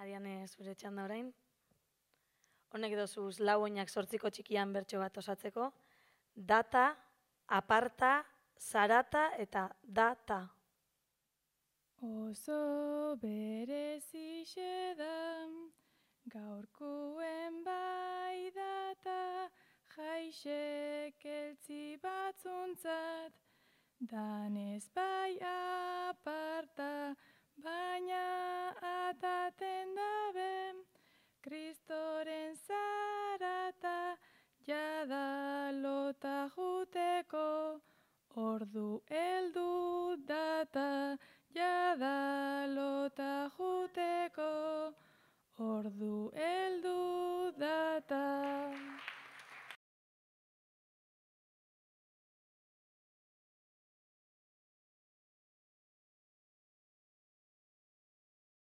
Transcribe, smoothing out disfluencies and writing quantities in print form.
Ariane, zure txanda orain. Honek dozuz lau oinak 8 txikian bertso bat osatzeko. Data, aparta, zarata eta data. Oso berezixe da, gaurkuen bai data, jaixek eltzi batzuntzat, danez bai aparta, baina ataten dabe, Kristoren zarata, jada lota juteko, ordu heldu data, jada lota juteko, ordu heldu data.